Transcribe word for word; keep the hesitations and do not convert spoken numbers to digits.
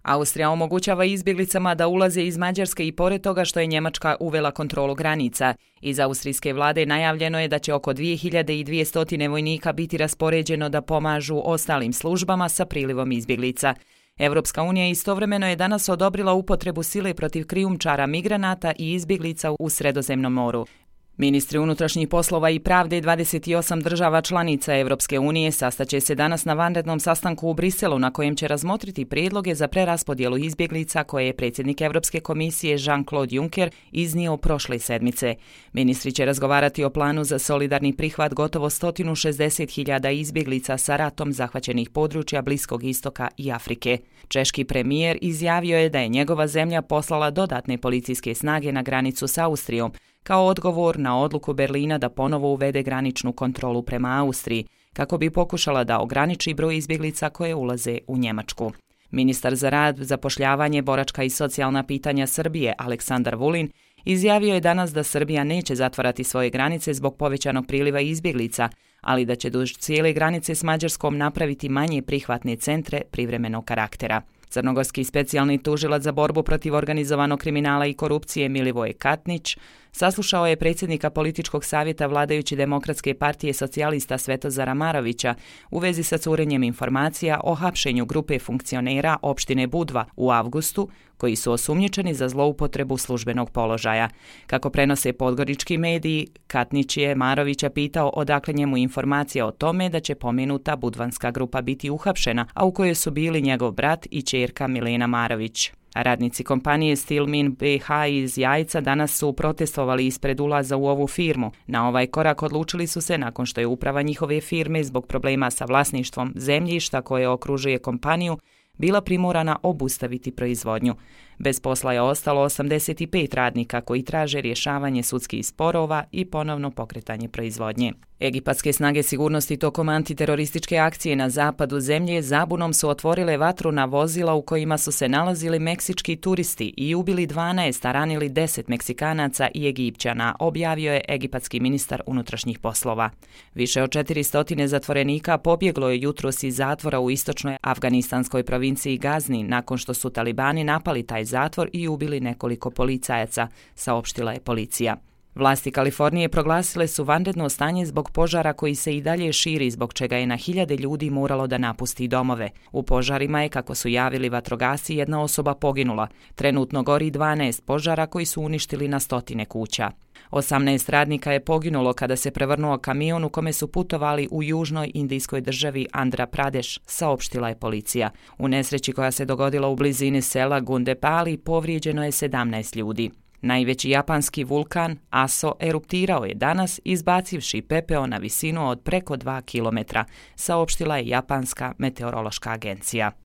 Austrija omogućava izbjeglicama da ulaze iz Mađarske i pored toga što je Njemačka uvela kontrolu granica. Iz austrijske vlade najavljeno je da će oko dvije hiljade dvjesto vojnika biti raspoređeno da pomažu ostalim službama sa prilivom izbjeglica. Europska unija istovremeno je danas odobrila upotrebu sile protiv krijumčara migranata i izbjeglica u Sredozemnom moru. Ministri unutrašnjih poslova i pravde dvadeset osam država članica Europske unije sastaće se danas na vanrednom sastanku u Briselu na kojem će razmotriti prijedloge za preraspodjelu izbjeglica koje je predsjednik Europske komisije Jean-Claude Juncker iznio prošle sedmice. Ministri će razgovarati o planu za solidarni prihvat gotovo sto šezdeset hiljada izbjeglica sa ratom zahvaćenih područja Bliskog istoka i Afrike. Češki premijer izjavio je da je njegova zemlja poslala dodatne policijske snage na granicu s Austrijom, kao odgovor na odluku Berlina da ponovo uvede graničnu kontrolu prema Austriji, kako bi pokušala da ograniči broj izbjeglica koje ulaze u Njemačku. Ministar za rad, zapošljavanje, boračka i socijalna pitanja Srbije, Aleksandar Vulin, izjavio je danas da Srbija neće zatvarati svoje granice zbog povećanog priliva izbjeglica, ali da će duž cijele granice s Mađarskom napraviti manje prihvatne centre privremenog karaktera. Crnogorski specijalni tužilac za borbu protiv organizovanog kriminala i korupcije Milivoje Katnić saslušao je predsjednika političkog savjeta vladajuće Demokratske partije socijalista Svetozara Marovića u vezi sa curenjem informacija o hapšenju grupe funkcionera opštine Budva u avgustu, koji su osumnjičeni za zloupotrebu službenog položaja. Kako prenose podgorički mediji, Katnić je Marovića pitao odakle njemu informacija o tome da će pomenuta budvanska grupa biti uhapšena, a u kojoj su bili njegov brat i ćerka Milena Marović. Radnici kompanije Stilmin B H iz Jajca danas su protestovali ispred ulaza u ovu firmu. Na ovaj korak odlučili su se nakon što je uprava njihove firme zbog problema sa vlasništvom zemljišta koje okružuje kompaniju bila primorana obustaviti proizvodnju. Bez posla je ostalo osamdeset pet radnika koji traže rješavanje sudskih sporova i ponovno pokretanje proizvodnje. Egipatske snage sigurnosti tokom antiterorističke akcije na zapadu zemlje zabunom su otvorile vatru na vozila u kojima su se nalazili meksički turisti i ubili dvanaest, a ranili deset Meksikanaca i Egipćana, objavio je egipatski ministar unutrašnjih poslova. Više od četiristo zatvorenika pobjeglo je jutros iz zatvora u istočnoj afganistanskoj provinciji Gazni nakon što su talibani napali taj zatvor i ubili nekoliko policajaca, saopštila je policija. Vlasti Kalifornije proglasile su vanredno stanje zbog požara koji se i dalje širi, zbog čega je na hiljade ljudi moralo da napusti domove. U požarima je, kako su javili vatrogasci, jedna osoba poginula. Trenutno gori dvanaest požara koji su uništili na stotine kuća. osamnaest radnika je poginulo kada se prevrnuo kamion u kome su putovali u južnoj indijskoj državi Andhra Pradesh, saopštila je policija. U nesreći koja se dogodila u blizini sela Gundepali povrijeđeno je sedamnaest ljudi. Najveći japanski vulkan Aso eruptirao je danas izbacivši pepeo na visinu od preko dva kilometra, saopštila je japanska meteorološka agencija.